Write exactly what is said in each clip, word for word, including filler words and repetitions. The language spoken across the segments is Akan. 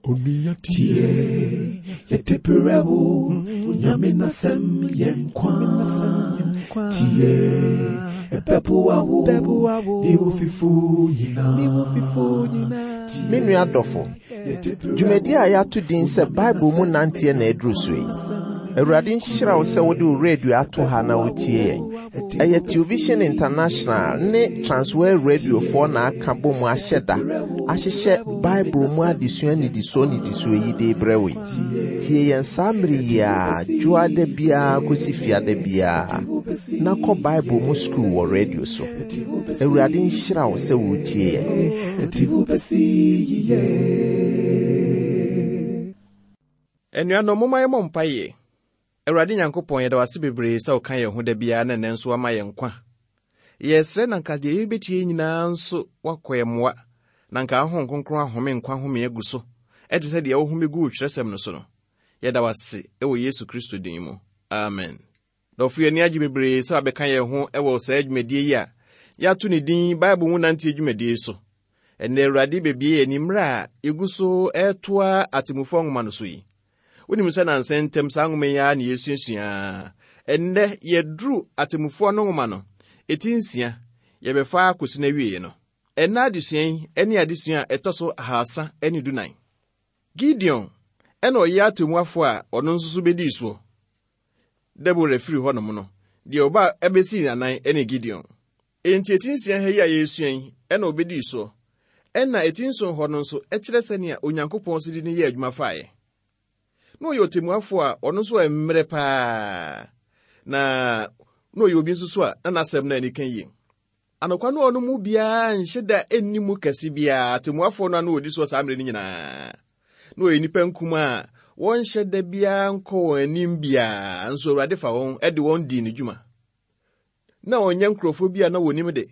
Onua tie, yɛde brɛ wo, Nyame n'asɛm yɛ nkwa. Tie, ɛbɛboa wo, ne wo fifo nyinaa. Me nua dɔfo, dwumadi a yɛato din sɛ Bible mu nanteɛ na aduru so yi. Awurade nhyira wo sɛ wode wo radio ato ha na wotie yɛn. Ɛyɛ Television International ne Transworld Radiofoɔ na aka bɔ mu ahyɛ da ahyehyɛ Bible mu adesua nnidisoɔ nnidisoɔ yi de brɛ wo yi. Tie yɛn saa mmere yi a dwoada biara kɔsi fiada biara na kɔ Bible mu sukuu wɔ radio so. Awurade nhyira wo sɛ wotie yɛn. Ɛde wo bɛsi yiye. Anuanom, momma yɛmmɔ mpaeɛ. Awurade Nyankopɔn, yɛda wo ase bebree sɛ woka yɛn ho da biara na ɛnnɛ nso woama yɛn nkwa. Yɛsrɛ na nka deɛ yɛbɛtie nyinaa nso woakɔ yɛn mmoa, na nka wo Honhom Kronkron ahome nkwa home agu so, ɛte sɛ deɛ wohome guu twerɛsɛm no so no. Yɛda wo ase wɔ Yesu Kristo din mu. Amen. Dɔfo, yɛn ani agye bebree sɛ wabɛka yɛn ho wɔ saa dwumadie yi a yɛato ne din Bible mu nanteɛ dwumadie so. Ɛnnɛ Awurade bebue yɛn ani mmerɛ a yɛgu so ɛretoa Atemmufoɔ nwoma no so yi. Wonim sɛ nansa ntam saa nwoma yi ara na yɛsuasua. Ɛnnɛ yɛduru Atemmufoɔ no nwoma no, ɛti nsia, yɛbɛfa akɔsi no awieeɛ no. Ɛnnɛ adesua yi ne adesua a ɛtɔ so ahasa ne dunan. Gideon ɛna ɔyɛ atemmuafoɔ a ɔno nso so bɛdii soɔ. Debora firi hɔnom no, deɛ ɔba ɛbɛsii n'anan ne Gideon. Enti ɛti nsia ha yi a yɛresua yi ɛna ɔbɛdii soɔ. Ɛna ɛti nson hɔ no nso ɛkyerɛ sɛnea Onyankopɔn so de no yɛ adwuma faeɛ. Na ɔyɛ ɔtemmuafoɔ a ɔno nso mmerɛ paa, na na ɔyɛ obi nso so a na n'asɛm no ani ka yie. Anokwa no ɔno mu biara nhyɛ da nni mu kɛse biara. Atemmuafoɔ no ano ɔdi soɔ saa mmerɛ no nyinaa. Na ɔyɛ nnipa nkum a wɔnhyɛ da biara nkɔ wɔn anim biara, nso Awurade fa wɔn de wɔn dii ne dwuma. Na ɔnyɛ nkurɔfoɔ bi a na wɔnim de,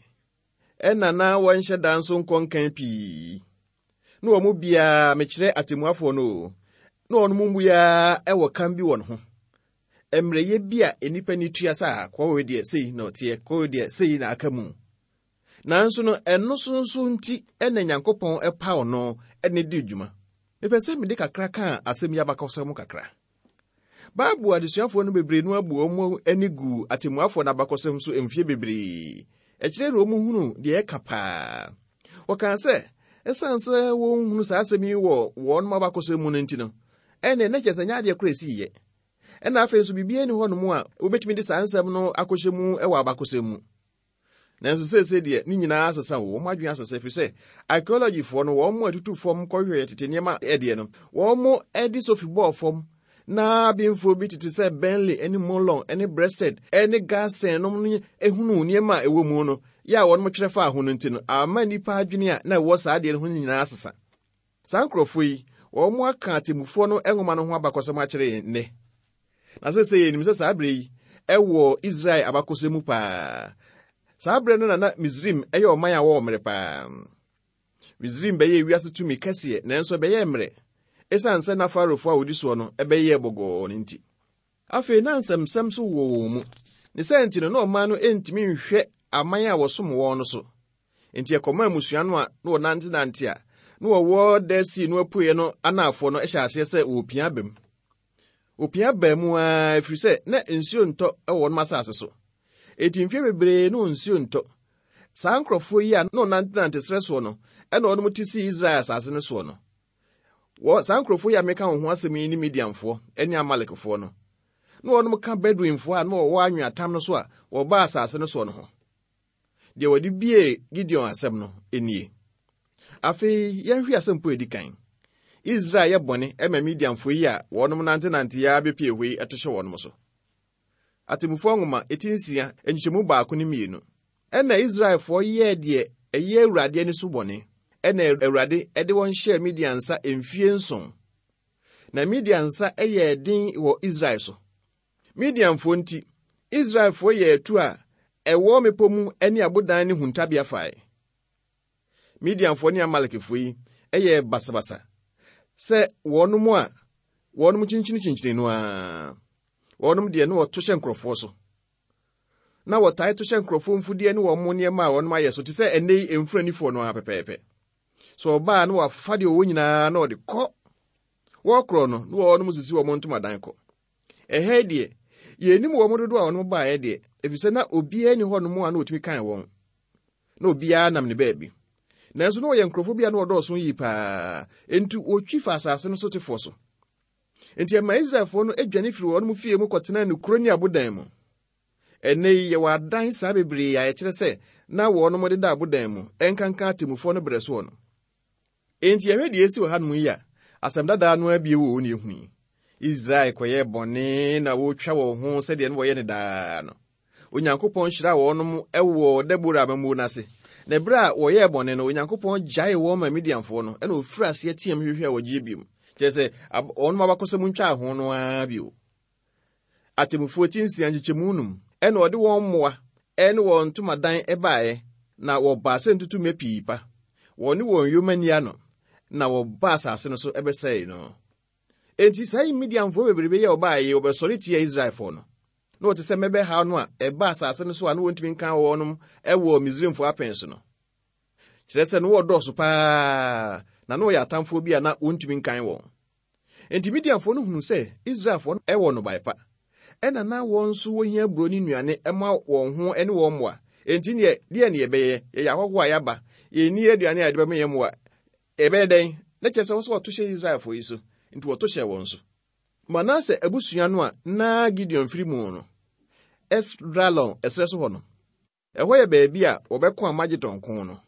ɛna na wɔnhyɛ da nso nkɔ nkan pii. Na wɔn mu biara, mekyerɛ atemmuafoɔ no o, na wɔn mu biara ɛwɔ kam bi wɔ ne ho. Mmerɛyɛ bi a nnipa ni tua sɛ a kɔɔ deɛ sei na ɔteɛ, kɔɔ deɛ sei na aka mu. Nanso no ɛno so nso nti ɛna Nyankopɔn ɛpaw no ɛne di dwuma. Mepɛ sɛ mede kakra ka asɛm yi abakɔsɛm kakra. Bible adesuafoɔ no bebree no abu wɔn ani gu atemmuafoɔ no abakɔsɛm so mfie bebree. Ɛkyerɛ na wɔn hunu deɛ ɛka paa. Wɔkaa sɛ, ɛsiane sɛ wɔnhunu saa asɛm yi wɔ wɔn abakɔsɛm mu no nti no, ɛnna ɛnɛ kyerɛ sɛ nyɛ adeɛ koro esi yɛ. Ɛna afei nso biribiara ni hɔnom a wobɛtumi de saa nsɛm no akɔhyɛ mu wɔ abakɔsɛm mu. Nanso seesei deɛ ne nyinaa asesa wɔ wɔn adwene asesa, ɛfiri sɛ archaeologyfoɔ no wɔn mo atutu fam kɔhwehwɛ tete nneɛma ɛdeɛ no, wɔn mo de sofi bɔɔ fam na abemfoɔ bi tete sɛ Bentley ne Molon ne Breasted ne Garson nom no ehunu nneɛma a ɛwɔ mu no yɛ a wɔn mo twerɛ faa ho no nti no, ama nnipa adwene a na ɛwɔ saa adeɛ no ho nyinaa asesa. Saa nkurɔfoɔ yi, wɔn mo aka atemmufoɔ no nwoma no ho abakɔsɛm akyerɛ yɛn nnɛ. Na seesei yɛnim sɛ saa berɛ yi ɛwɔ Israel abakɔsɛm mu paa. Saa berɛ no na na Misraim ɛyɛ ɔman a wɔwɔ mmerɛ paa. Misraim bɛyɛ wiase tumi kɛseɛ, nanso ɛbɛyɛ mmerɛ ɛsiane sɛ na Farofoɔ a wɔdi soɔ no ɛbɛyɛ bɔgɔɔ no nti. Afei na nsɛmsɛm so wɔ wɔn mu. Ne sɛ nti no na ɔman no ntumi nhwɛ aman a wɔsom wɔn no so. Nti ɛkɔmaa mmusua no a na wɔnantenante a na wɔwɔ Dead Sea no apueɛ no anaafoɔ no hyɛ aseɛ sɛ wɔpia aba mu. Wɔpia baa mu ara ɛfiri sɛ na nsuo ntɔ wɔ wɔn asase so. Enti mfeɛ bebree na nsuo ntɔ. Saa nkurɔfoɔ yi a na wɔnantenante serɛ soɔ no, ɛna wɔn te sii Israel asase no soɔ no. Wɔ saa nkurɔfoɔ yi a meka wɔn ho asɛm yi ne Midianfoɔ ne Amalekfoɔ no. Na wɔn ka Bedouinfoɔ a na wɔwɔ anweatam no so a wɔbaa asase no soɔ no ho. Deɛ wɔde bie Gideon asɛm no nie. Afei yɛnhwɛ asɛm po edi kan. Israel yɛ bɔne ɛma Midianfoɔ yi a wɔnom nantenante ya bepie hɔ yi ɛto hyɛ wɔnom so. Atemmufoɔ nwoma eti nsia nkyekyɛmu baako ne mmienu. Ɛna Israelfoɔ yɛɛ deɛ ɛyɛ Awurade ani so bɔne. Ɛna Awurade ɛde wɔn hyɛɛ Midian nsa mfie nson. Na Midian nsa ɛyɛɛ den wɔ Israel so. Midianfoɔ nti, Israelfoɔ yɛɛ atu a ɛwɔ mmepɔ mu ne abodan ne huntabea fae. Midianfoɔ ne Amalekfoɔ yi ɛyɛɛ basabasa sɛ wɔnom a wɔnom kyinkyini no ara. Wɔnom deɛ na wɔto hyɛ nkurɔfoɔ so. Na wɔtae to hyɛ nkurɔfoɔ mfudeɛ ne wɔn nneɛma a wɔnom ayɛ so te sɛ ɛnnɛ yi mfuranifoɔ no ara pɛpɛɛpɛ. Sɛ ɔbaa na wafa deɛ ɔwɔ nyinaa na ɔde kɔ. Wɔkorɔ no, na wɔnom sisi wɔn ntomadan kɔ. Ɛha deɛ, yɛnnim wɔn dodoɔ a wɔnom baeɛ deɛ, efisɛ na obiara nni hɔnom a na otumi kan wɔn. Na obiara nam ne baabi. Nanso na wɔyɛ nkurɔfoɔ bi a na wɔdɔɔso yie paa, enti wɔtwi fa asase no sotefoɔ so. Enti ɛma Israelfoɔ no adwane firi wɔn fie mu kɔtenaa nkuro ne abodan mu. Ɛnnɛ yi yɛwɔ adan saa bebree a ɛkyerɛ sɛ na wɔnom deda abodan mu, ɛnkanka atemmufoɔ no berɛ soɔ no. Enti yɛhwɛ deɛ esi wɔ hanom yi a, asɛm dadaa no abie wɔ wɔn ehu yi. Israel kɔyɛɛ bɔne na wɔretwa wɔn ho sɛdeɛ no wɔyɛ ne daa no. Onyankopɔn hyiraa wɔnom wɔ Debora amammuo no ase. Na ɛberɛ a wɔyɛɛ bɔne no, Onyankopɔn gyaee wɔn ma Midianfoɔ no, ɛna ofiri aseɛ team hwehwɛ a wɔgye biom. Kyerɛ sɛ, wɔnom abakɔsɛm ntwaa ho no ara bio. Atemmufoɔ ti nsia nkyekyɛmu num, ɛna ɔde wɔn mmoa ɛne wɔn ntomadan ɛbaeɛ, na wɔbaa sɛ ntutummɛ pii pa. Wɔne wɔn yoma ni ano, na wɔbaa asase no so ɛbɛsɛe no. Enti saa Midianfoɔ bebrebe yi a wɔbaeɛ yi, wɔbɛsɔre tia Israelfoɔ no. Na wɔte sɛ mmɛbɛhaw no a ɛba asase no so a na wɔntumi nka wɔnom ɛwɔ Misraimfoɔ apɛn so no. Kyerɛ sɛ no wɔdɔɔso paa, na na wɔyɛ atamfoɔ bi a na wɔntumi nkan wɔn. Enti Midianfoɔ no hunu sɛ Israelfoɔ no ɛwɔ nnɔbae pa. Ɛna na wɔn nso wɔhia aburo ne nnuane ɛma wɔn ho ne wɔn mmoa. Enti neɛ, deɛ ne yɛbɛyɛ, yɛyɛ ahɔhoɔ a yɛaba, yɛnni aduane a yɛde bɛma yɛn mmoa. Ɛbɛyɛ dɛn? Na kyerɛ sɛ wɔ sɛ wɔto hyɛ Israelfoɔ yi so, nti wɔto hyɛ wɔn so. Manase abusua no a na Gideon firi mu no, Esdraelon ɛserɛ so hɔ no, ɛhɔ yɛ baabi a wɔbɛko Armagedon ko no.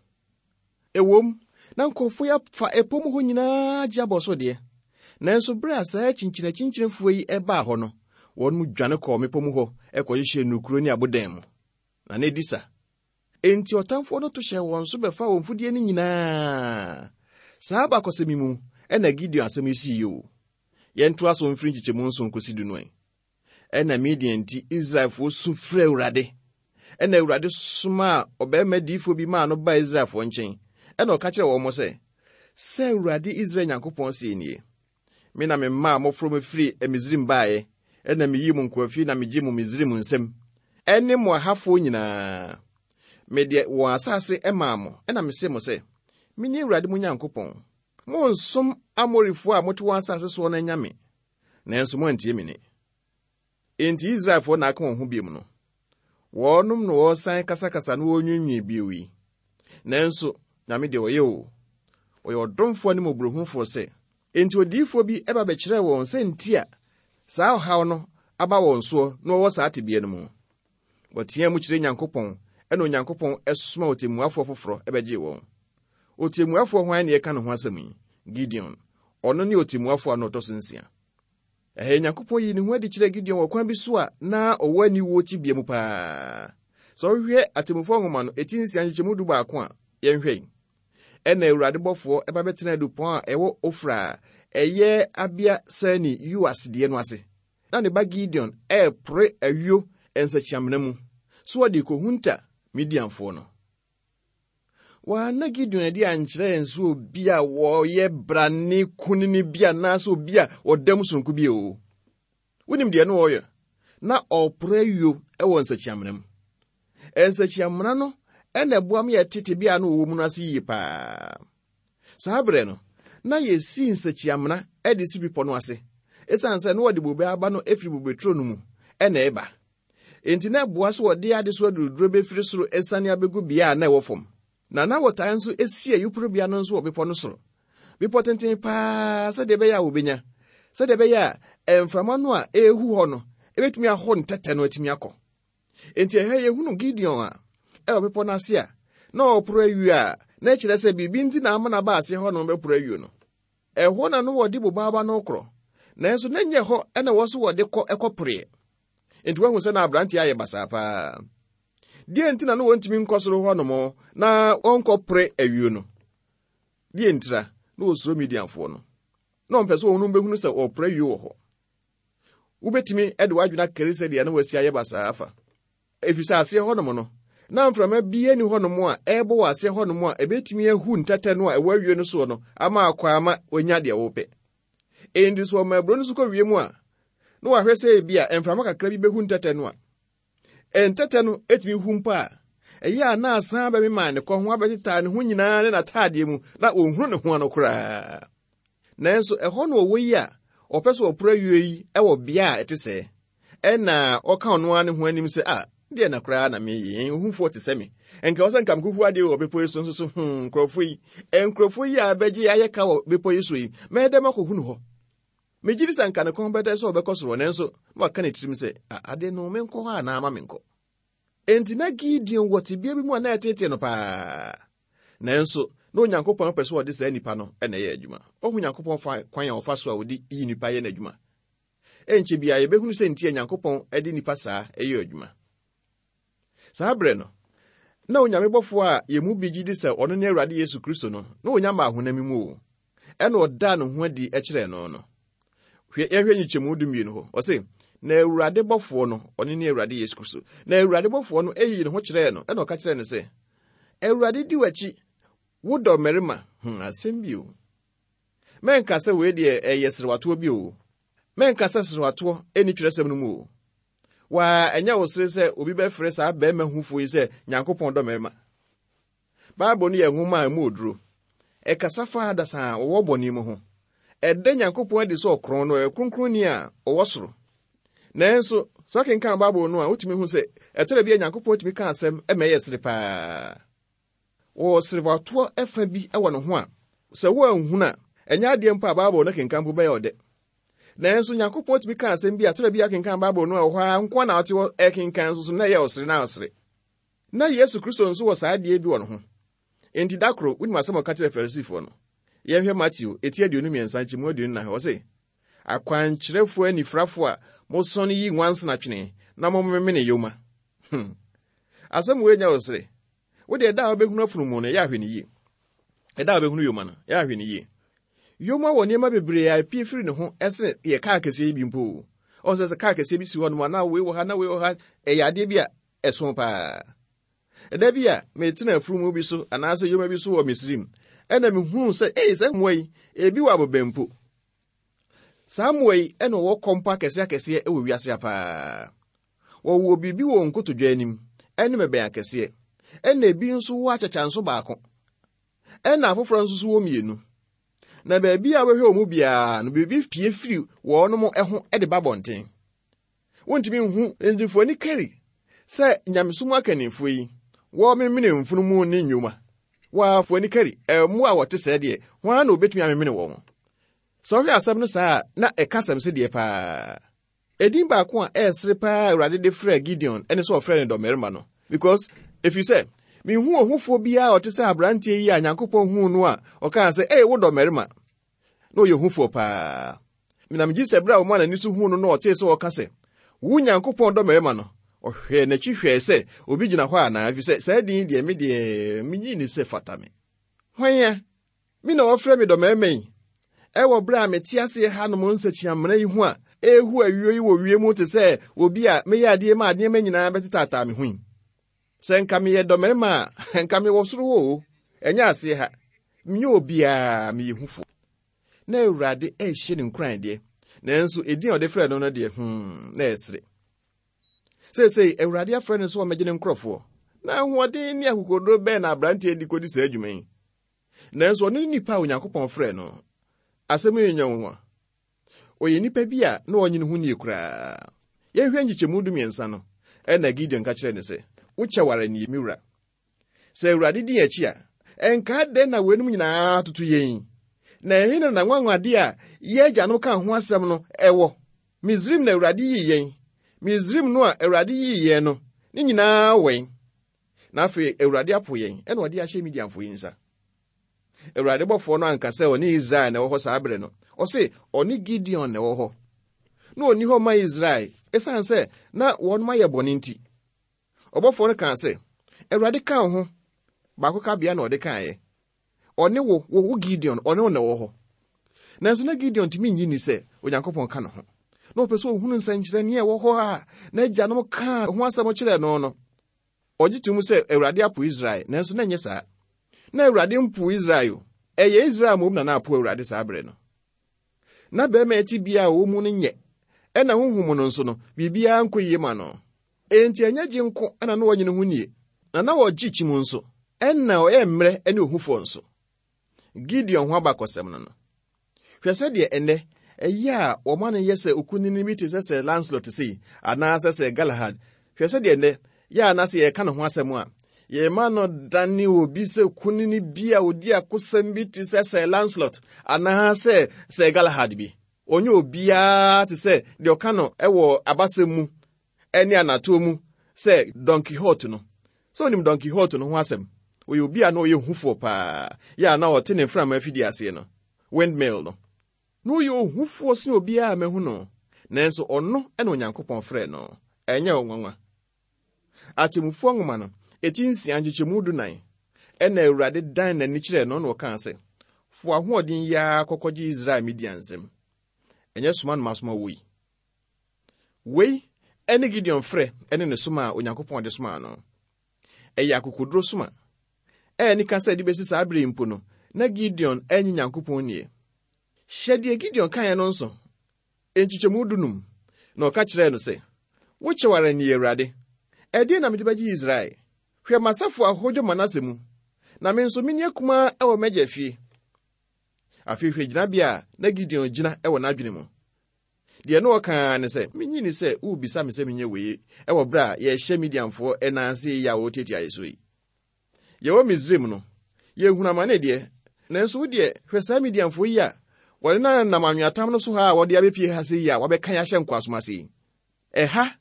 Ɛwom, na nkurɔfoɔ yi afa ɛpɔ mu hɔ nyinaa gye abɔ so deɛ. Nanso bere a saa kyinkyinakyinkyinafoɔ yi ɛbaa hɔ no, wɔn mu dwane kɔɔ mmepɔ mu hɔ ɛkɔhyehyɛ nnukuro ne abodan mu. Na na edi sa. Enti ɔtamfoɔ no to hyɛɛ wɔn so bɛfa wɔn mfudeɛ no nyinaa. Saa abakɔsɛm yi mu ɛna Gideon asɛm yi sii o. Yɛntoa so mfiri nkyekyɛmu nson kɔsi du no ɛ. Ɛna Midian nti Israelfoɔ su frɛ Awurade. Ɛna Awurade somaa ɔbarima diyifoɔ bi maa no baa Israelfoɔ nkyɛn. Ɛna ɔka kyerɛɛ wɔn sɛ, sɛ Awurade Israel Nyankopɔn see nie, me na memaa mmɔfra mu firi Misraim baeɛ, ɛna meyii mo nkoafie na megye mo Misraim nsam, ɛne mo ahafoɔ nyinaa. Mede wɔn asase maa mo, ɛna mese mo sɛ, mene Awurade mo Nyankopɔn. Monsom Amorifoɔ a mote wɔn asase soɔ no anyame, nanso moantie me nne. Enti Israelfoɔ na aka wɔn ho biom no, wɔnom na wɔresan kasakasa na wɔrenwiinwii bio yi. Nanso, Nyame deɛ ɔyɛ o, ɔyɛ ɔdomfoɔ ne mmɔborɔhunufoɔ sɛ, enti odiyifoɔ bi ɛba bɛkyerɛɛ wɔn sɛ nti a saa ɔhaw no aba wɔn soɔ na wɔwɔ saa tebea no mu. Wɔteaa mu kyerɛ Nyankopɔn, ɛna Onyankopɔn ɛsoma ɔtemmuafoɔ foforɔ ɛbɛgyee wɔn. Ɔtemmuafoɔ hwan na yɛka ne ho asɛm yi? Gideon. Ɔno ne ɔtemmuafoɔ a na ɔtɔ so nsia. Ɛhɛ Nyankopɔn yii ne ho adi kyerɛɛ Gideon wɔ kwan bi so a na ɔwɔ aniwuo tebea mu paa. Sɛ wohwɛ atemmufoɔ nwoma no, eti nsia nkyekyɛmu du baako a, yɛnhwɛ yi. Ɛna Awurade bɔfoɔ ɛba bɛtena adupɔn a ɛwɔ Ofra a ɛyɛ Abiesani Yoas deɛ no ase. Na ne ba Gideon ɛrepore ayuo nsakyiamena mu, so ɔde kɔhunta Midianfoɔ no. Wɔanna Gideon adi ankyerɛ yɛn sɛ obi a wɔyɛ brane kunini bi anaasɛ obi a ɔda mu sononko bi o. Wonim deɛ no ɔyɛ? Na ɔpore ayuo ɛwɔ nsakyiamena mu. Nsakyiamena no ɛna ɛboa ma yɛtete bea no wɔwɔ mu no ase yie paa. Saa berɛ no, na yɛsi nsakyiamena ɛde si bepɔ no ase. Ɛsiane sɛ na wɔde bobe aba no efiri bobeturo no mu ɛna ɛba. Enti na ɛboa sɛ wɔde adesoa duruduro bɛfiri soro asiane abɛgu bea a na ɛwɔ fam. Na na wɔtaa nso esi ayuporobea no nso wɔ bepɔ no soro. Bepɔ tenten paa sɛdeɛ ɛbɛyɛ a wɔbɛnya. Sɛdeɛ ɛbɛyɛ a mframa no a ɛrehu hɔ no, ɛbɛtumi aho ntɛtɛ no atumi akɔ. Enti ɛha yɛhunu Gideon a ɛwɔ bepɔ no ase a na ɔreporo ayuo a na ɛkyerɛ sɛ biribi nti na ama no aba ase hɔ no bɛporo ayuo no. Ɛhɔ na no wɔde bobaaba no korɔ. Nanso na nyɛ hɔ ɛna wɔ so wɔde kɔ ɛkɔporeɛ. Enti woahu sɛ na aberanteɛ ayɛ basaa paa. Deɛ nti na no wɔntumi nkɔ soro hɔ nom na wɔnkɔpore ayuo no. Deɛ ntira na wɔsuro Midianfoɔ no. Na ɔmpɛ sɛ wɔn bɛhunu sɛ wɔpore ayuo wɔ hɔ. Wobɛtumi de w'adwene akari sɛdeɛ na wɔasi ayɛ basaa afa. Ɛfiri sɛ aseɛ hɔnom no, na mframa bi ani hɔnom a ɛrebɔ wɔ aseɛ hɔnom a ɛbɛtumi ahu ntɛtɛ no a ɛwɔ awie no soɔ no ama akɔ ama wɔanya deɛ wɔpɛ. Enti sɛ ɔma aburo no so kɔ wiem a, na wahwɛ sɛ ebi a mframa kakra bi bɛhu ntɛtɛ no a, ntɛtɛ no etumi hu mpo a, ɛyɛ a na asan bɛmema ne kɔ ho abɛtetaa ne ho nyinaa ne n'ataadeɛ mu na ɔnhunu ne ho ano koraa. Nanso ɛhɔ na ɔwɔ yi a ɔpɛ sɛ ɔporo ayuo yi wɔ bea a ɛte sɛɛ. Ɛna ɔka ɔno ara ne ho anim sɛ, a deɛ na koraa na meyɛ, ohufoɔ te sɛ me. Ɛnka wɔ sɛ nka mekɔhu adeɛ wɔ bepɔ yi so nso so, hmm, nkurɔfoɔ yi, nkurɔfoɔ yi a bɛgye ayɛ ka wɔ bepɔ yi so yi, mɛyɛ dɛ makɔhu no hɔ. Megye di sɛ nka ne kɔn bɛdɛ sɛ ɔbɛkɔ soro, nanso na waka ne tirim sɛ, ade no menkɔ hɔ anaa ma menkɔ. Enti na Gideon wɔ tebea bi mu a na ɛtetee no paa. Nanso na Onyankopɔn pɛ sɛ ɔde saa nipa no na ɛyɛ adwuma. Ɔhu Nyankopɔn fa kwan a ɔfa so a ɔde yi nipa yɛ n'adwuma. Ɛnkyɛ biara yɛbɛhunu sɛ nti a Nyankopɔn de nipa saa ɛyɛ adwuma. Saa berɛ no, na Onyame bɔfoɔ a yɛn mu bi gye di sɛ ɔno ne Awurade Yesu Kristo no, na onya ma ahonam mu o. Ɛna ɔdaa ne ho adi kyerɛɛ no no. Hwɛ, yɛnhwɛ nyikyɛmu dumienu hɔ. Ɔse, na Awurade bɔfoɔ no, ɔno ne Awurade Yesu Kristo. Na Awurade bɔfoɔ no eyi ne ho kyerɛɛ no, ɛna ɔka kyerɛɛ no sɛ, Awurade di w'akyi, wo dɔ mmarima. Hmm, asɛm bi o. Mɛnka sɛ wei deɛ ɛyɛ serewatoɔ bi o. Mɛnka sɛ serewatoɔ ɛnni twerɛsɛm no mu o. Waa, ɛnyɛ wo sere sɛ obi bɛfrɛ saa bɛrima hufoɔ yi sɛ Nyankopɔn dɔ mmarima. Bible no yɛ nwoma a emu oduro. Ɛkasa fa adasa a wɔwɔ bɔne mu ho. Ɛda Nyankopɔn adi sɛ ɔkorɔn no, ɔyɛ kronkronni a ɔwɔ soro. Nanso, sɛ wokenkan Bible no a, wotumi hu sɛ ɛtɔ da bi a Nyankopɔn tumi ka asɛm ma ɛyɛ sere paa. Wɔwɔ serewatoɔ ɛfa bi wɔ ne ho a, sɛ woanhunu a, ɛnyɛ adeɛ mpo a Bible no kenkan mpo bɛyɛ ɔdɛ. Nanso Nyankopɔn tumi ka asɛm bi a ɛtɔ da bi a kenkan Bible no a ɛwɔ hɔ ara nko na ɔte hɔ ɛkenkan nso so na ɛyɛ ɔsere na ɔsere. Na Yesu Kristo nso wɔ saa adeɛ bi wɔ ne ho. Enti da koro, wonim asɛm a ɔka kyerɛɛ Farisifoɔ no. Yɛnhwɛ Mateo, eti aduonu mmiɛnsa nkyɛmu aduonu nan. Ɔse, akwankyerɛfoɔ anifirafoɔ a mosɔne yi nwansena twene na momemene yoma. Hmm. Asɛm wei nyɛ ɔsere. Wo deɛ ɛda a wobɛhunu afunumu no, ɛyɛ ahwɛ ne yie. Ɛda a wobɛhunu yoma no, ɛyɛ ahwɛ ne yie. Yoma wɔ nneɛma bebree a epie firi ne ho ɛsene yɛ kaa kɛseɛ yi bi mpo. Ɔn sɛ sɛ kaa kɛseɛ bi si hɔ nom a, na wei wɔ ha, na wei wɔ ha, ɛyɛ adeɛ bi a ɛso paa. Ɛda bi a metena afunumu bi so anaasɛ yoma bi so wɔ Misrim, ɛna mehunuu sɛ, ei, saa mmoa yi, ebi wɔ abobɛn mpo. Saa mmoa yi ɛna wɔwɔ kɔmpɔ akɛseɛ akɛseɛ wɔ wiase paa. Wɔwɔ biribi wɔ nkotodwe anim, ɛne mmɛbɛn akɛseɛ. Ɛna ebi nso wɔ akyakya baako. Ɛna afoforɔ nso so wɔ mmienu. Na baabi a wɔhwɛ wɔn mu biara no, biribi pie firi wɔn ho de ba bɔnten. Wontumi nhu ntifoɔ ani kari sɛ nyamesom akannifoɔ yi, wɔmemene mfunumu ne nnwuma. Wɔafo ani kari, mmoa a wɔte sɛɛ deɛ, wɔn ara na obetumi amemene wɔn. Sɛ wohwɛ asɛm no saa a, na ɛka asɛm so deɛ paa. Edin baako a ɛresere paa Awurade de frɛɛ Gideon ɛne sɛ ɔfrɛ no dɔmmarima no. Because ɛfiri sɛ, minhu ohufoɔ biara a ɔte sɛ aberanteɛ yi a Nyankopɔn huu no a ɔkaa sɛ, ei, wo dɔmmarima. Na ɔyɛ ohufoɔ paa. Na megye sɛ berɛ a ɔmaa n'ani so huu no na ɔtee sɛ ɔka sɛ, wo Nyankopɔn dɔmmarima no, ɔhwɛɛ n'akyi hwɛɛ sɛ obi gyina hɔ anaa, ɛfiri sɛ saa din deɛ me deɛ menyi ne sɛ fata me. Hwan a? Me na wɔfrɛ me dɔmmarima yi. Ɛwɔ berɛ a mete aseɛ hanom nsakyiamena yi ho a ɛrehu awio yi wɔ wiem te sɛ obi a meyɛ adeɛ ma nneɛma nyinaa bɛtetaataa me ho yi. Sɛ nka meyɛ dɔmmarima a, nka mewɔ soro hɔ o. Ɛnyɛ aseɛ ha. Menyɛ obiara, meyɛ hufo. Na Awurade ɛrehyɛ ne nkuran deɛ. Nanso edin a ɔde frɛ no no deɛ, hmm, na ɛsere. Seesei, Awurade afrɛ no sɛ ɔmmɛgye ne nkurɔfoɔ. Na ahoɔden ne akokoduro bɛn na aberanteɛ di kɔdi saa adwuma yi? Nanso ɔno ne nipa a Onyankopɔn frɛ no. Asɛm yi nyɛ nwanwa. Ɔyɛ nipa bi a na ɔnye ne ho nie koraa. Yɛnhwɛ nkyekyɛmu dumiɛnsa no, ɛna Gideon ka kyerɛɛ no sɛ, wo kyɛw ara nie, me wura. Sɛ Awurade di akyi a, ɛnka dɛn na weinom nyinaa toto yɛn? Na ɛhe na n'anwanwadeɛ a yɛn agyanom kaa ho asɛm no ɛwɔ? Misrim na Awurade yii yɛn. Misrim no a Awurade yii yɛn no, ne nyinaa wɛn. Na afei Awurade apo yɛn, ɛna ɔde ahyɛ Midianfoɔ yi nsa. Awurade bɔfoɔ no anka sɛ ɔne Israel na ɛwɔ hɔ saa berɛ no. Ɔse ɔne Gideon na ɛwɔ hɔ. Na ɔnni hɔ ma Israel, ɛsiane sɛ na wɔnom ayɛ bɔne nti. Ɔbɔfoɔ no kaa sɛ, Awurade ka wo ho. Baako ka bea na ɔde kaeɛ. Ɔne wo, wo, wo Gideon, ɔne wo na ɛwɔ hɔ. Nanso na Gideon tumi nyi ni sɛ Onyankopɔn ka ne ho. Na ɔpɛ sɛ ɔhunu nsɛnkyerɛnneɛ a ɛwɔ hɔ a n'agyanom kaa ho asɛm kyerɛɛ no no. Ɔgye to mu sɛ Awurade apo Israel, nanso na ɛnyɛ saa. Na Awurade mpo Israel o. Ɛyɛ Israel mmom na na apo Awurade saa berɛ no. Na bɛrima akyi bia a ɔwɔ mu no nyɛ. Ɛna honhom no nso no, biribiara nkɔ yie ma no. Enti ɛnyɛ gye nko ɛna na wɔnye ne ho nie. Na na wɔgye kyim nso. Ɛna ɔyɛ mmerɛ ne ohufoɔ nso. Gideon ho abakɔsɛm no no. Hwɛ sɛdeɛ ɛnnɛ ɛyɛ a wɔma no yɛ sɛ okunini bi te sɛ Sir Lancelot sei anaasɛ Sir Galahad. Hwɛ sɛdeɛ ɛnnɛ yɛ a na sɛ yɛka ne ho asɛm a, yɛma no dane obi sɛ kunini bi a odi akosɛm bi te sɛ Sir Lancelot anaasɛ Sir Galahad bi. Ɔnyɛ obiara te sɛ deɛ ɔka no ɛwɔ abasɛm mu ɛne anatoɔ mu sɛ Don Quixote no. Sɛ onim Don Quixote no ho asɛm, ɔyɛ obi a na ɔyɛ hufoɔ paa, yɛ a na ɔte ne mframa afidie aseɛ no, windmill no. Na ɔyɛ ohufoɔ sen obiara a mahu no, nanso ɔno ɛna Onyankopɔn frɛɛ no. Ɛnyɛ wo nwanwa. Atemmufoɔ nwoma no, eti nsia nkyekyɛmu dunan, ɛna Awurade dan n'ani kyerɛɛ no na ɔkaa sɛ, "Fo ahoɔden yi ara kɔkɔgye Israel Midian nsam. Ɛnyɛ soma no masoma wo yi." Wei ɛne Gideon frɛ ɛne ne soma a Onyankopɔn de somaa no. Ɛyɛ akokoduro soma. Ɛyɛ nika sɛ de bɛsi saa bere mpo no, na Gideon ɛnye Nyankopɔn nie. Hyɛ deɛ Gideon kaeɛ no nso, nkyekyɛmu dunum, na ɔka kyerɛɛ no sɛ, "Wo kyɛw ara nie, Awurade. Ɛdeɛn na mede bɛgye Israel? Hwɛ m'asafo ahodwo Manase mu, na me nso menni akumaa ɛwɔ m'agya fie." Afei hwɛ gyinabea a na Gideon gyina ɛwɔ n'adwene mu. Deɛ na ɔkaa ne sɛ, "Menyi ni sɛ worebisa me sɛ menyɛ wei ɛwɔ berɛ a yɛhyɛ Midianfoɔ ɛnan ase yi a wɔretiatia yɛ so yi. Yɛwɔ Misraim no, yɛhunu amane deɛ, nanso wo deɛ hwɛ saa Midianfoɔ yi a wɔde no nam anweatam no so ha a wɔde abɛpie ha se yi a wɔabɛka yɛ ahyɛ nkoasom ase yi. Ɛha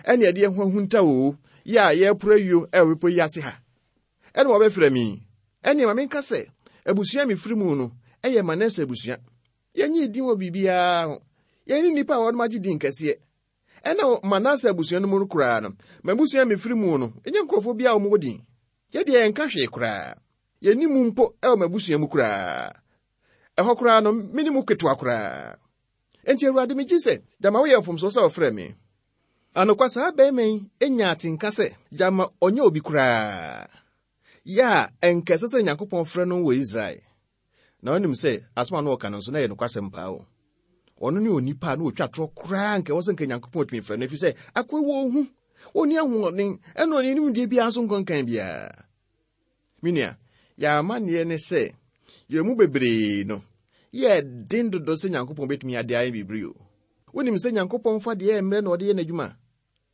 ɛne ɛde yɛn ho ahunta oo, yɛ a yɛreporo ayuo ɛwɔ bepɔ yi ase ha. Ɛne wɔbɛfrɛ me. Ɛne ma menka sɛ, abusua a mefiri mu no ɛyɛ Manase abusua. Yɛnyee din wɔ biribiara ho. Yɛne nnipa a wɔnom agye din kɛseɛ. Ɛna Manase abusua no mu no koraa no, m'abusua a mefiri mu no, ɛnyɛ nkurɔfoɔ bi a wɔwɔ din. Yɛdeɛ yɛnka hwee koraa. Yɛnni mu mpo ɛwɔ m'abusua mu koraa. Ɛhɔ koraa no, me ne mu ketewa koraa. Enti Awurade, megye sɛ gyama woyɛ mfomsoɔ sɛ wɔfrɛ me. Anokwa saa bɛrima yi anya atenka sɛ gyama ɔnyɛ obi koraa. Yɛ a ɛnka ɛsɛ sɛ Nyankopɔn frɛ no wɔ Israel. Na ɔnim sɛ asɛm a na ɔka no nso na ɛyɛ nokwasɛm paa o. Ɔno ne onipa a na ɔtwa torɔ koraa nka ɛwɔ sɛ nka Nyankopɔn tumi frɛ no, ɛfiri sɛ akoa wɔ ohu, ɔnni ahoɔden, ɛna ɔne nimdeɛ biara nso nkɔnkan biara. Me nua, yɛn amanneɛ ne sɛ yɛn mu bebree no, yɛ den dodo sɛ Nyankopɔn bɛtumi ade ayɛ biribi o. Wonim sɛ Nyankopɔn fa deɛ mmerɛ na ɔde yɛ n'adwuma.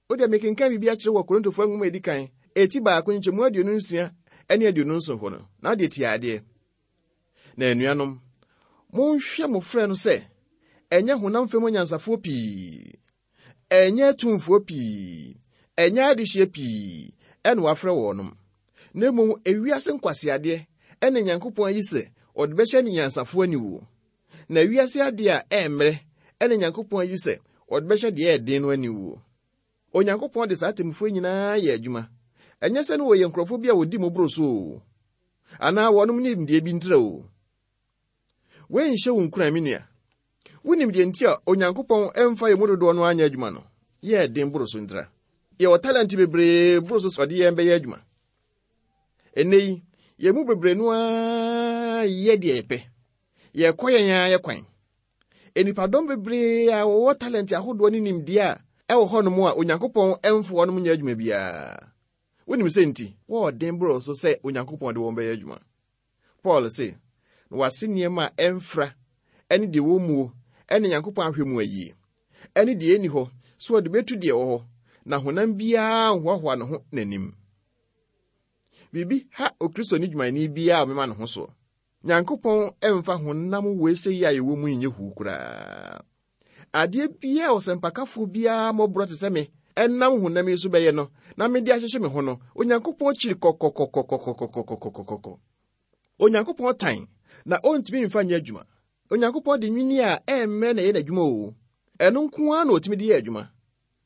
Wodeɛ mekenkan biribi akyerɛ wɔ Korintofoɔ nwoma a ɛdi kan, eti baako nkyɛmu aduonu nsia ne aduonu nson hɔ no, na wodeɛ tie adeɛ. Na anuanom, monhwɛ mo frɛ no sɛ ɛnyɛ honam fam anyansafoɔ pii, ɛnyɛ atumfoɔ pii, ɛnyɛ adehyeɛ pii ɛna wɔafrɛ wɔnom. Na mmom ewiase nkwaseadeɛ ɛna Nyankopɔn ayi sɛ ɔde bɛhyɛ ne nyansafoɔ aniwuo. Na ewiase adeɛ a ɛmmerɛ ɛna Nyankopɔn ayi sɛ ɔde bɛhyɛ deɛ ɛden no aniwuo. Onyankopɔn de saa atemmufoɔ nyinaa yɛ adwuma. Ɛnyɛ sɛ ne wɔyɛ nkurɔfoɔ bi a wɔdi mu boro so o, anaa wɔnom nimdeɛ bi ntrɛ o. Wei nhyɛ wo nkuran, me nua. Wonim deɛ nti a Onyankopɔn ɛmfa yɛn mu dodoɔ no anyɛ adwuma no, yɛ den boro so ntra. Yɛwɔ talent bebree boro so sɛ ɔde yɛn bɛyɛ adwuma. Ɛnnɛ yi, yɛn mu bebree no ara yɛ deɛ yɛpɛ. Yɛkɔ yɛn ara yɛ kwan. Nnipadɔm bebree a wɔwɔ talent ahodoɔ ne nimdeɛ a ɛwɔ hɔnom a Onyankopɔn ɛmfa wɔnom nyɛ adwuma biara. Wonim sɛ nti, wɔɔden boro so sɛ Onyankopɔn de wɔn bɛyɛ adwuma. Paul se, na wase nneɛma a ɛmfra ɛne deɛ wɔ muo ɛne Nyankopɔn ahwɛ mu ayie ɛne deɛ ɛnni hɔ so ɔde bɛtu deɛ ɛwɔ hɔ, na honam biara nhoahoa ne ho n'anim. Biribi ha Okristoni dwumayɛni biara a ɔmema ne ho soɔ. Nyankopɔn ɛmfa honam wei sɛ yi a yɛwɔ mu nyɛ huu koraa. Adeɛ biara a ɔsɛmpakafoɔ biara mmɔborɔ te sɛ me ɛnam honam yi so bɛyɛ no, na mede ahyehyɛ me ho no, Onyankopɔn kyiri kɔkɔkɔkɔkɔkɔkɔkɔkɔkɔ. Onyankopɔn tan na ɔntumi mfa nyɛ adwuma. Onyankopɔn de nwini a ɛmmerɛ na ɛyɛ n'adwuma o. Ɛno nko ara na ɔtumi de yɛ adwuma.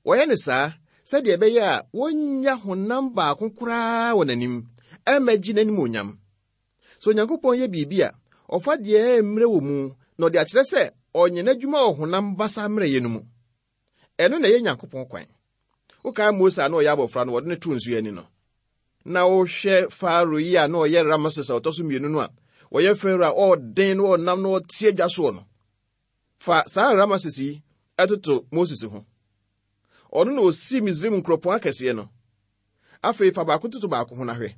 Wɔyɛ ne saa sɛdeɛ ɛbɛyɛ a wɔnnya honam baako koraa wɔ n'anim, ɛmmɛgye n'anim onyam. Sɛ Onyankopɔn yɛ biribi a, ɔfa deɛ ɛmmerɛ wɔ mu na ɔde akyerɛ sɛ ɔnyɛ n'adwuma wɔ honam basa mmerɛyɛ no mu. Ɛno na ɛyɛ Nyankopɔn kwan. Wokae Mose a na ɔyɛ abɔfra no, wɔde no too nsuo ani no. Na wohwɛ Farao yi a na ɔyɛ Ramses a ɔtɔ so mmienu no a, wɔyɛ Farao a ɔɔden na ɔnam na ɔte adwa soɔ no. Fa saa Ramses yi ɛtoto Moses ho. Ɔno na osi Misraim nkuropɔn akɛseɛ no. Afei fa baako toto baako ho na hwɛ.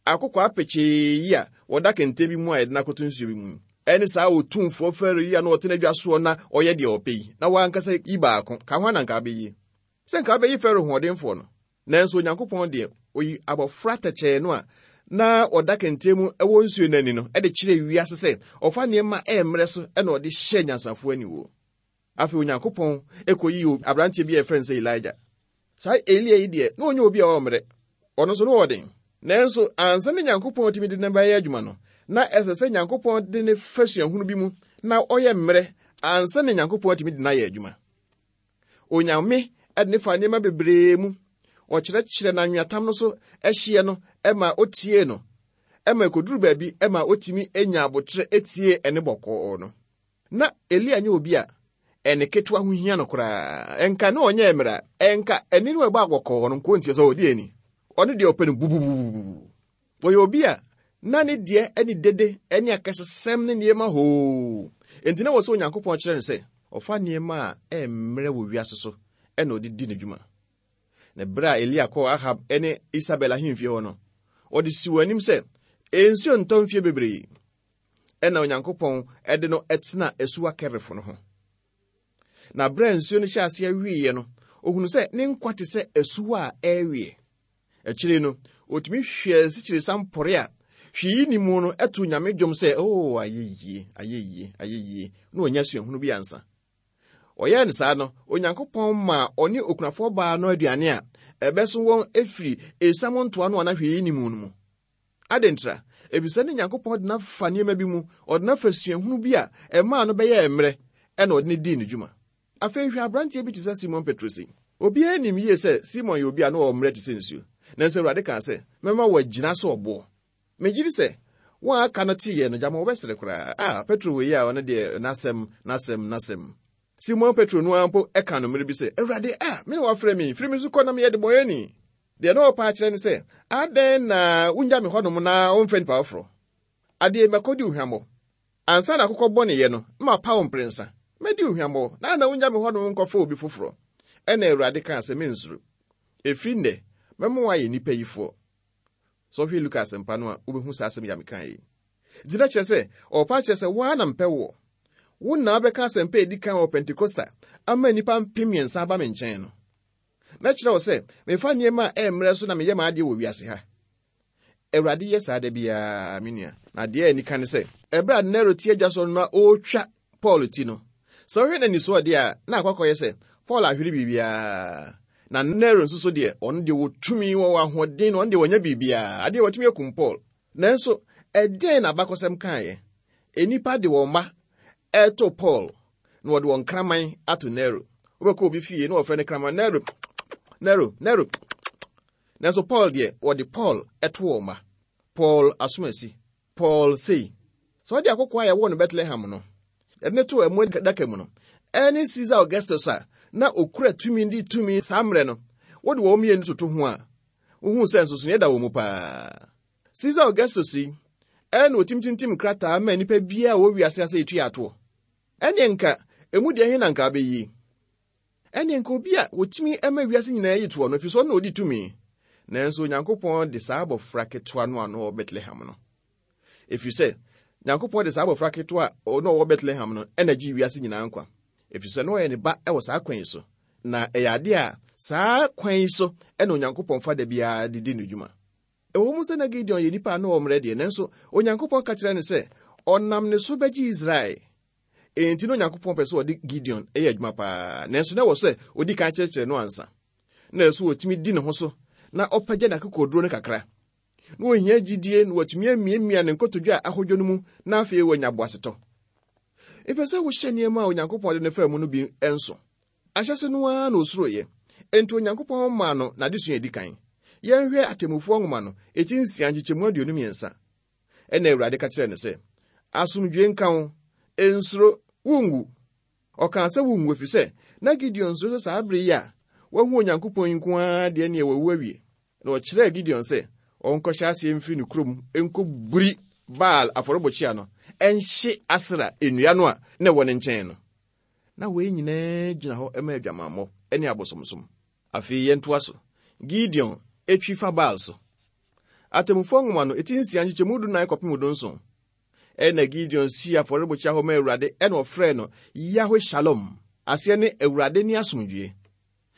Akokɔ apɛkyee yi a wɔda kɛntɛn bi mu a yɛde no akɔto nsuo bi mu. Ɛne saa otumfoɔ Farao yi a na ɔte n'adwa soɔ na ɔyɛ deɛ ɔpɛ yi, na wankasa yi baako, ka ho na nka abɛyie. Sɛ nka abɛyi Farao hoɔdenfoɔ no. Nanso Onyankopɔn deɛ, oyi abɔfra tɛkyɛɛ no a na ɔda kɛntɛn mu ɛwɔ nsuo n'ani no, ɛde kyerɛ wiase sɛ ɔfa nneɛma ɛmmerɛ so ɛna ɔde hyɛ nyansafoɔ aniwuo. Afei Onyankopɔn ɛkɔyi aberanteɛ bi a yɛfrɛ no sɛ Elijah. Saa Elia yi deɛ, na ɔnyɛ obi a ɔwɔ mmerɛ. Ɔno nso no wɔ den. Nanso ansa ne Nyankopɔn tumi de ne bɛyɛ adwuma no, na ɛsɛ sɛ Nyankopɔn de ne fa suahunu bi mu na ɔyɛ mmerɛ ansa ne Nyankopɔn tumi de no ayɛ adwuma. Onyame ɛde ne fa nneɛma bebree mu. Ɔkyerɛkyerɛ n'anweatam no so ɛhyeɛ no ɛma otie no. Ɛma ɛkɔduru baabi ɛma otumi enya abotrɛ etie ɛne bɔkɔɔ no. Na Elia nyɛ obi a ɛne ketewa ho hia no koraa. Ɛnka ne ɔnyɛ mmerɛ ɛnka ɛne no ɛbɔ abɔkɔɔ no nko ntie sɛ ɔde ani. Ɔno deɛ ɔpɛ no bubububu. Wɔyɛ obi a na ne deɛ ɛne dede ɛne akɛsesɛm ne nneɛma hoo. Enti na wɔ sɛ Onyankopɔn kyerɛ no sɛ ɔfa nneɛma a ɛmmerɛ wɔ wiase so ɛna ɔde di n'adwuma. Na berɛ a Elia kɔɔ Ahab ɛne Isabel ahemfie hɔ no, ɔde si wɔn anim sɛ nsuo ntɔ mfie bebree. Ɛna Onyankopɔn ɛde no ɛtena asuwa Kerifo no ho. Na berɛ a nsuo no hyɛ aseɛ wieɛ no, ohunu sɛ ne nkwa te sɛ asuwa a ɛrewie. Akyire no, otumi hwɛ asikyiresa mpɔre a hwee ni mu no ɛto Nyame dwom sɛ, "Oh, ayɛ yie, ayɛ yie, ayɛ yie," na ɔnya suahunu bi ansa. Ɔyɛɛ no saa no, Onyankopɔn maa ɔne okunafoɔ baa no aduane a ɛbɛso wɔn efiri esiam ntoa no a na hwee ni mu no mu. Adɛn Efisɛ ne Nyankopɔn de n'afa nneɛma bi mu, ɔde n'afa suahunu bi a ɛmaa no bɛyɛɛ mmerɛ, ɛna ɔde ne dii ne dwuma. Afei hwɛ aberanteɛ bi te sɛ Simon Petro sei. Obiara nim yie sɛ Simon yɛ obi a na ɔwɔ mmerɛ te sɛ nsuo. Nanso Awurade kaa sɛ, mɛma wɔagyina so ɔboɔ. Megye di sɛ wɔn a aka no teeɛ no gyama wɔbɛsere koraa. Ah, Petro wei a ɔno deɛ n'asɛm, n'asɛm, n'asɛm. Simon Petro no ara mpo ɛka no mmerɛ bi sɛ, Awurade, ah, me na wafrɛ me, firi me so kɔ na meyɛ debɔneyɛni. Deɛ na ɔpa akyerɛ ne sɛ, adɛn na wongya me hɔnom na womfrɛ nnipa foforɔ? Adeɛ mɛkɔdi wo hwammɔ. Ansa na akokɔ bɔneyɛ no, na mapa wo mprɛnsa. Mɛdi wo hwammɔ, na na wongya me hɔnom nkɔfa obi foforɔ. Ɛna Awurade kaa sɛ, mensuro. Ɛfiri nnɛ, mɛma woayɛ nnipa yifoɔ. Sɛ ɔhwɛ Luka asɛmpa no a, wobɛhu saa asɛm yi a mekaeɛ yi. Nti na kyerɛ sɛ, ɔpa kyerɛ sɛ woa na mpɛ woɔ. Wo na wobɛka asɛmpa a ɛdi kan wɔ Pentekosta ama nnipa mpem mmiɛnsa aba me nkyɛn no. Mɛkyerɛ wo sɛ, mefa nneɛma a ɛmmerɛ so na meyɛ m'adeɛ wɔ wiase ha. Awurade yɛ saa da biara, me nua. Na adeɛ a ani ka ne sɛ, ɛberɛ a Nero te adwa so no na ɔretwa Paul ti no, sɛ wohwɛ n'ani deɛ a, na akɔkɔyɛ sɛ Paul ahwere biribiara. Na Nero nso so deɛ, ɔno deɛ wɔtumi wɔ ahoɔden na ɔno deɛ wɔnyɛ biribiara. Adeɛ wɔtumi akum Paul. Nanso, ɛdɛn na abakɔsɛm kaeɛ? Nnipa de wɔn mma ɛto Paul na wɔde wɔn kraman ato Nero. Wobɛkɔ obi fie na wɔfrɛ no kraman Nero, Nero, Nero. Nanso Paul deɛ, wɔde Paul ɛto wɔn mma. Paul asomasi. Paul sei. Sɛ ɔde akokoa a yɛwɔ no Bethlehem no, yɛde ne too ɛmo daka mu no, ɛne Caesar Augustus a na okura tumi di tumi saa mmerɛ no, wode wɔn mmienu toto ho a, wohu sɛ nsonsonoeɛ da wɔn mu paa. Caesar Augustus yi, ɛna otimtintim krataa ma nnipa biara a wɔwɔ wiase ase etua atoɔ. Ɛne nka emu deɛ he na nka abɛyi. Ɛne nka obi a wotumi ma wiase nyinaa yi toɔ no, ɛfiri sɛ ɔno na odi tumi. Nanso Onyankopɔn de saa abɔfra ketewa no a na ɔwɔ Bethlehem no. Ɛfiri sɛ, Nyankopɔn de saa abɔfra ketewa a na ɔwɔ Bethlehem no ɛna gye wiase nyinaa nkwa. Ɛfiri sɛ na ɔyɛ ne ba ɛwɔ saa kwan yi so. Na ɛyɛ adeɛ a saa kwan yi so ɛna Onyankopɔn fa da biara de di ne dwuma. Ɛwɔ mu sɛ na Gideon yɛ nipa a na ɔwɔ mmerɛ deɛ, nanso Onyankopɔn ka kyerɛ no sɛ ɔnam ne so bɛgye Israel. Enti na Onyankopɔn pɛ sɛ ɔde Gideon yɛ adwuma paa, nanso na ɛwɔ sɛ odi kan kyerɛkyerɛ no ansa. Na ɛso wɔtumi di ne ho so na ɔpagya n'akokoduro no kakra. Na ohia gyidie na watumi amiamia ne nkotodwe a ahodwo no mu na afei wanya boasetɔ. Ɛpɛ sɛ wohyɛ nneɛma a Onyankopɔn de ne faa mu no bi nso. Ahyɛse no ara na osuroeɛ. Enti Onyankopɔn maa no n'adesua a edi kan. Yɛnhwɛ Atemmufoɔ nwoma no, eti nsia nkyekyɛmu aduonu mmiɛnsa. Ɛna Awurade ka kyerɛɛ no sɛ, asomdwoe nka wo, nsuro, wonwu. Ɔkaa sɛ wonwu ɛfiri sɛ, na Gideon nsuro sɛ saa bere yi a wahu Onyankopɔn yi nko ara deɛ neɛ wawu awie. Na ɔkyerɛɛ Gideon sɛ ɔnkɔhyɛ aseɛ mfiri ne kurom nkɔburi Baal afɔrebɔkyia no, ɛnhye Asera nnua no a na ɛwɔ ne nkyɛn no. Na wei nyinaa gyina hɔ ma adwamammɔ ne abosomsom. Afei yɛntoa so. Gideon etwi fa Baal so. Atemmufoɔ nwoma no, eti nsia nkyekyɛmu du nan kɔpem du nson. Ɛnna Gideon sii afɔrebukyia hɔ maa Awurade, ɛnna ɔfrɛɛ no Yahwe Shalom, aseɛ ne Awurade ne asomdwoe.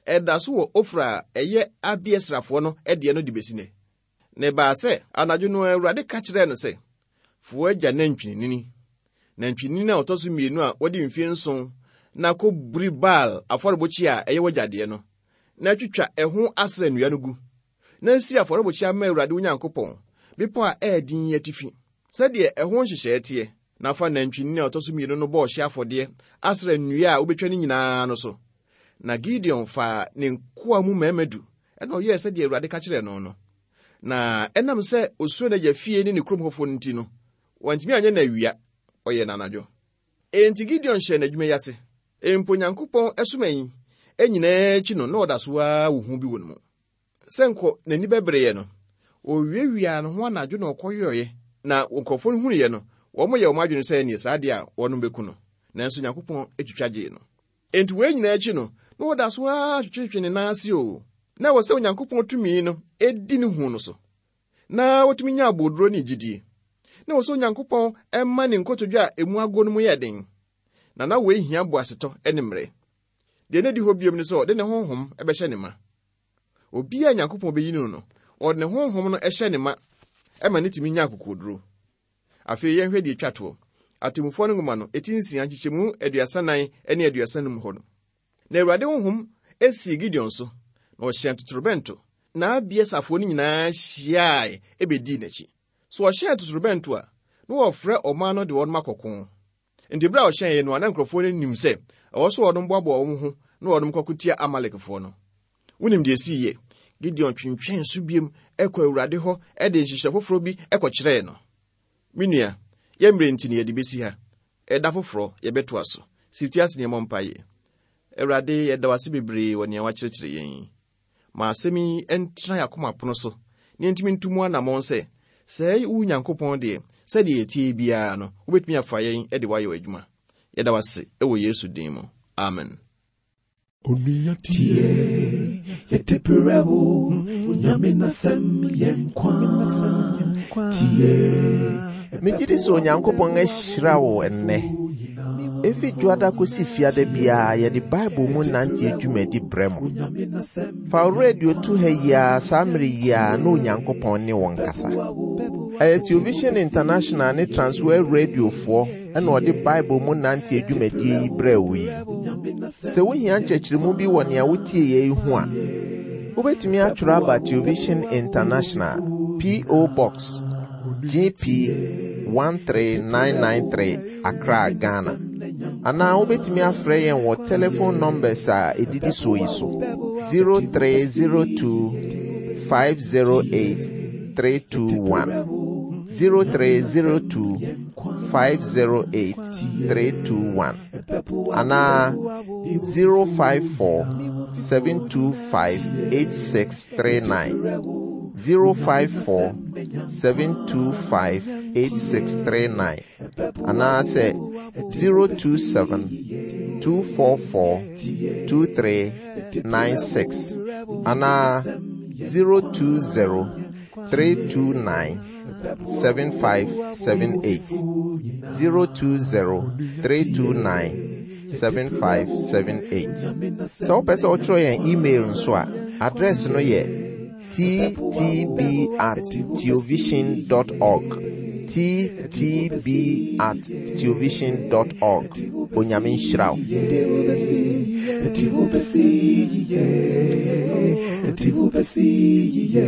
Ɛda so wɔ Ofra a ɛyɛ Abiesrafoɔ no deɛ no de besi nnɛ. Na ɛbaa sɛ anadwo no Awurade ka kyerɛɛ no sɛ, Fa w'agya nantwinini, nantwinini a ɔtɔ so mmienu a wadi mfe nson, na kɔburi Baal afɔrebukyia a ɛyɛ w'agya deɛ no, na twitwa ɛho asra nnua no gu, na si afɔrebukyia ma Awurade wo Nyankopɔn, bepɔ a ɛyɛ den yi atifi, sɛdeɛ ɛho nhyehyɛe teɛ, na fa nantwinini a ɔtɔ so mmienu no bɔ ɔhyeɛ afɔdeɛ asra nnua a wobɛtwa no nyinaa no so. Na Gideon faa ne nkoa mu mmarima du, ɛna ɔyɛɛ sɛdeɛ Awurade ka kyerɛɛ no no. Na ɛnam sɛ osuro n'agya fie ne ne kurom hɔfoɔ no nti no, wantumi anyɛ no awia, ɔyɛɛ no anadwo. Enti Gideon hyɛɛ n'adwuma yi ase. Mpo Nyankopɔn ɛsoma yi nyinaa akyi no, na ɔda so ara wɔ hu bi wɔ ne mu. Sɛ nkɔ n'ani bɛbereɛ no, owiawiaa ne ho anadwo na ɔkɔyɔeɛ, na nkurɔfoɔ no hunuiɛ no, wɔn yɛ wɔn adwene sɛ ɛneɛ saa deɛ a wɔnom bɛku no. Nanso Nyankopɔn atwitwa gyee no. Enti wei nyinaa akyi no, na ɔda so ara twetwetwe ne nan ase o. Na ɛwɔ sɛ Onyankopɔn tumi no edi ne hu no so, na wotumi nya aboduro ne gyidie. Na ɛwɔ sɛ Onyankopɔn ɛma ne nkotodwe a emu ago no mu yɛ den. Na na wei hia boasetɔ ne mmerɛ. Deɛ na di hɔ biom ne sɛ ɔde ne honhom bɛhyɛ ne ma. Obiara a Nyankopɔn bɛyi no no, ɔde ne honhom no hyɛ ne ma ɛma ne tumi nya akokoduro. Afei yɛnhwɛ deɛ etwa toɔ. Atemmufoɔ no nwoma no, eti nsia nkyekyɛmu aduasa nan ne aduasa num hɔ no. Na Awurade honhom esii Gideon so, na ɔhyɛn totorobɛnto, na Abieserfoɔ no nyinaa hyiae ebedii n'akyi. So ɔhyɛn totorobɛnto a, na wɔfrɛ ɔman no de wɔn akɔko. Nti bere a ɔhyɛn no a, na nkurɔfoɔ no nim sɛ ɛwɔ so wɔn boaboa wɔn ho na wɔn kɔko tia Amalekfoɔ no. Wonim deɛ esii yɛ. Gideon twentwɛn so biem ɛkɔ Awurade hɔ ɛde nhyehyɛ foforɔ bi ɛkɔkyerɛɛ no. Me nua, yɛn mmerɛ nti no yɛde besi ha. Ɛda foforɔ yɛbɛtoa so. Si ti ase nneɛma mpaeɛ. Awurade, yɛda wo ase bebree wɔ nea wakyerɛkyerɛ yɛn yi. Ma asɛm yi ntena yɛn akoma pono so, na yɛntumi ntu mu anammɔn sɛ, sɛ wo Nyankopɔn deɛ, sɛdeɛ yɛtie biara no, wobɛtumi afa yɛn de woayɛ w'adwuma. Yɛda wo ase wɔ Yesu din mu. Amen. Onua tie, yɛde brɛ wo, Onyame n'asɛm yɛ nkwa. Tie, Megye di sɛ Onyankopɔn ahyira wo ɛnnɛ. Efi dwoada kosi fiada biara yɛde Bible mu nante dwumadi brɛ mo. Fa wo radio to ha yi ara saa mmere yi ara na Onyankopɔn ne wɔn kasa. Ɛyɛ Television International ne Transworld Radiofoɔ ɛna ɔde Bible mu nante dwumadie yi brɛ wo yi. Sɛ wohia nkyerɛkyerɛmu bi wɔ nea wotie yɛ yi ho a, wobɛtumi atwerɛ aba Television International, P O. Box G P one three nine nine three, Accra, Ghana. Anaa wobɛtumi afrɛ yɛn wɔ telephone numbers a ɛdidi soɔ yi so: zero three zero two five zero eight three two one, zero three zero two five zero eight three two one, anaa zero five four seven two five eight six three nine, zero five four seven two five eight six three nine, anaasɛ zero two seven two four four two three nine six, anaa zero two zero three two nine seven five seven eight, zero two zero three two nine seven five seven eight. Sɛ wopɛ sɛ wotwerɛ yɛn email nso a, address no yɛ T T B at theovision dot org, T T B at theovision dot org. Onyame nhyira wo. Yɛde wo bɛsi, yɛde wo bɛsi yie, yɛde wo bɛsi yie.